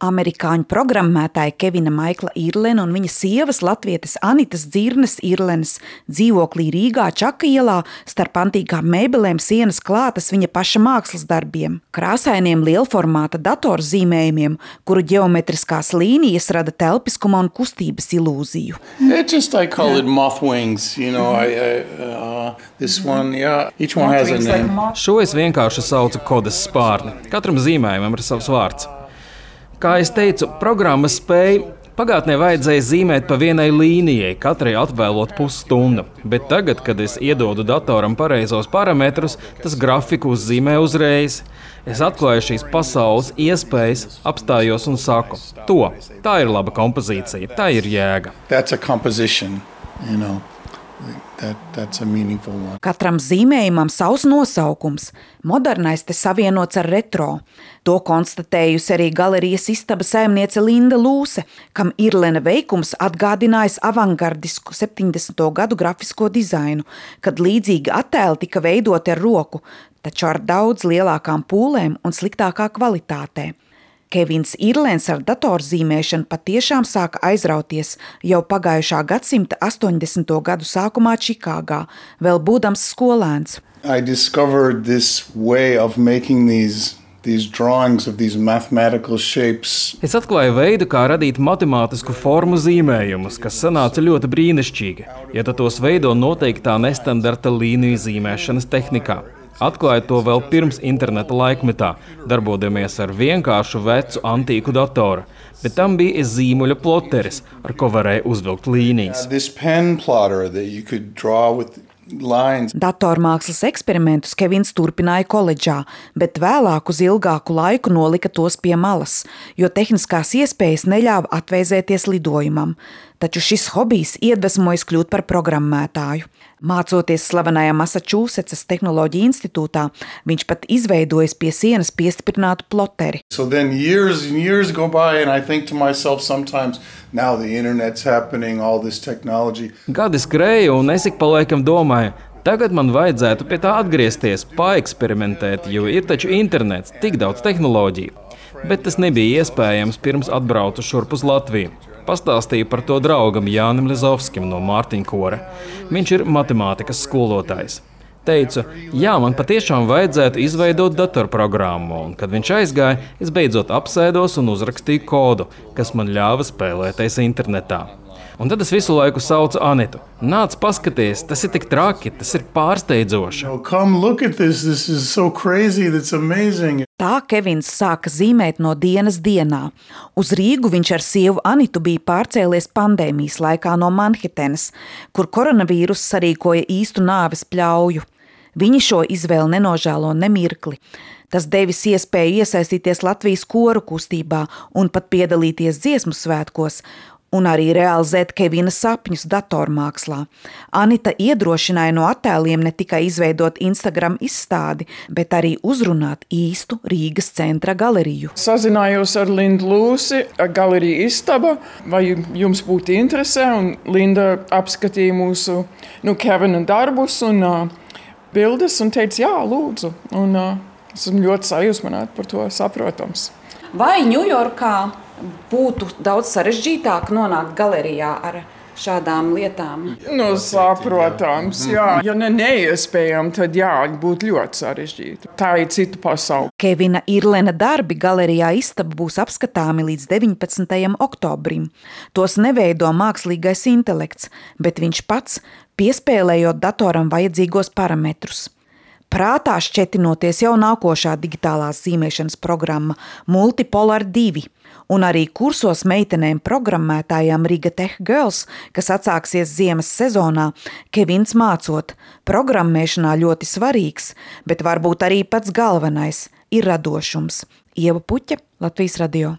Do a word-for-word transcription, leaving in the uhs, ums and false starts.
Amerikāņu programmētāja Kevina Maikla Irlena un viņa sievas latvietes Anitas Dzirnes Irlenes dzīvoklī Rīgā Čaka ielā starp antīkām mēbelēm sienas klātas viņa paša mākslas darbiem, krāsainiem lielformāta datorzīmējumiem, kuru ģeometriskās līnijas rada telpiskuma un kustības ilūziju. It just I call it moth wings, you know, I, I uh, this one, yeah, each one has a name. Šo es vienkārši saucu kodes spārni. Katram zīmējumam ir savs vārds. Kā es teicu, programma spēja, pagātnē vajadzēja zīmēt pa vienai līnijai, katrai atvēlot pusstundu, bet tagad, kad es iedodu datoram pareizos parametrus, tas grafiku uzzīmē uzreiz. Es atklāju šīs pasaules iespējas, apstājos un saku, to, tā ir laba kompozīcija, tā ir jēga. That's a composition, you know. That, that's a meaningful one. Katram zīmējumam savs nosaukums. Modernais te savienots ar retro. To konstatējusi arī galerijas istaba saimniece Linda Lūse, kam Irlena veikums atgādinājis avangardisku septiņdesmito gadu grafisko dizainu, kad līdzīgi attēli tika veidoti ar roku, taču ar daudz lielākām pūlēm un sliktākā kvalitātē. Kevins Irlens ar datorzīmēšanu patiešām sāka aizrauties jau pagājušā gadsimta astoņdesmito gadu sākumā Čikāgā, vēl būdams skolēns. I discovered this way of making these these drawings of these mathematical shapes. Es atklāju veidu, kā radīt matemātisku formu zīmējumus, kas sanāca ļoti brīnišķīgi, ja tu tos veido noteiktā nestandarta līniju zīmēšanas tehnikā. Atklāju to vēl pirms interneta laikmetā, darbodamies ar vienkāršu vecu antīku datoru, bet tam bija zīmuļa ploteris, ar ko varēja uzvilkt līnijas. This pen plotter that you could draw with lines. Datormākslas eksperimentus Kevins turpināja koledžā, bet vēlāk uz ilgāku laiku nolika tos pie malas, jo tehniskās iespējas neļāva atvēzēties lidojumam. Taču šis hobijs iedvesmojas kļūt par programmētāju. Mācoties slavenajā Massachusettsas tehnoloģiju institūtā, viņš pat izveidojis pie sienas piestiprinātu ploteri. So then years and years go by and I think to myself sometimes, now the internet's happening, all this technology. Gadi skrēja un es ik pa laikam domāju, tagad man vajadzētu pie tā atgriezties, paeksperimentēt, jo ir taču internets, tik daudz tehnoloģiju. Bet tas nebija iespējams pirms atbraucu šurp uz Latviju. Pastāstīju par to draugam Jānim Lizovskim no Mārtiņkora. Viņš ir matemātikas skolotājs. Teicu, jā, man patiešām vajadzētu izveidot datorprogrammu, un kad viņš aizgāja, es beidzot apsēdos un uzrakstīju kodu, kas man ļāva spēlēties internetā. Un tad es visu laiku saucu Anitu. Nāc paskaties, tas ir tik traki, tas ir pārsteidzoši. Oh, come look at this, this is so crazy, that's amazing. Tā Kevins sāka zīmēt no dienas dienā. Uz Rīgu viņš ar sievu Anitu bija pārcēlies pandēmijas laikā no Manhetenas, kur koronavīrus sarīkoja īstu nāves pļauju. Viņi šo izvēli nenožēlo nemirkli. Tas devis iespēju iesaistīties Latvijas koru kustībā un pat piedalīties dziesmu svētkos, un arī realizēt Kevina sapņus datormākslā. Anita iedrošināja no attēliem ne tikai izveidot Instagram izstādi, bet arī uzrunāt īstu Rīgas centra galeriju. Sazinājos ar Lindu Lūsi, galerija Istaba, vai jums būtu interesē, un Linda apskatīja mūsu nu, Kevina darbus un uh, bildes un teica, jā, lūdzu. Un uh, esmu ļoti sajūsmināta par to, saprotams. Vai Ņujorkā būtu daudz sarežģītāk nonākt galerijā ar šādām lietām? Nu, saprotams, jā. Ja ne neiespējam, tad jā, būtu ļoti sarežģīti. Tā ir cita pasaule. Kevina Irlena darbi galerijā Istaba būs apskatāmi līdz deviņpadsmitajam oktobrim. Tos neveido mākslīgais intelekts, bet viņš pats piespēlējot datoram vajadzīgos parametrus. Prātā šķetinoties jau nākošā digitālās zīmēšanas programma Multipolar divi, un arī kursos meitenēm programmētājām Riga Tech Girls, kas atsāksies ziemas sezonā, Kevins mācot, programmēšanā ļoti svarīgs, bet varbūt arī pats galvenais ir radošums. Ieva Puķe, Latvijas radio.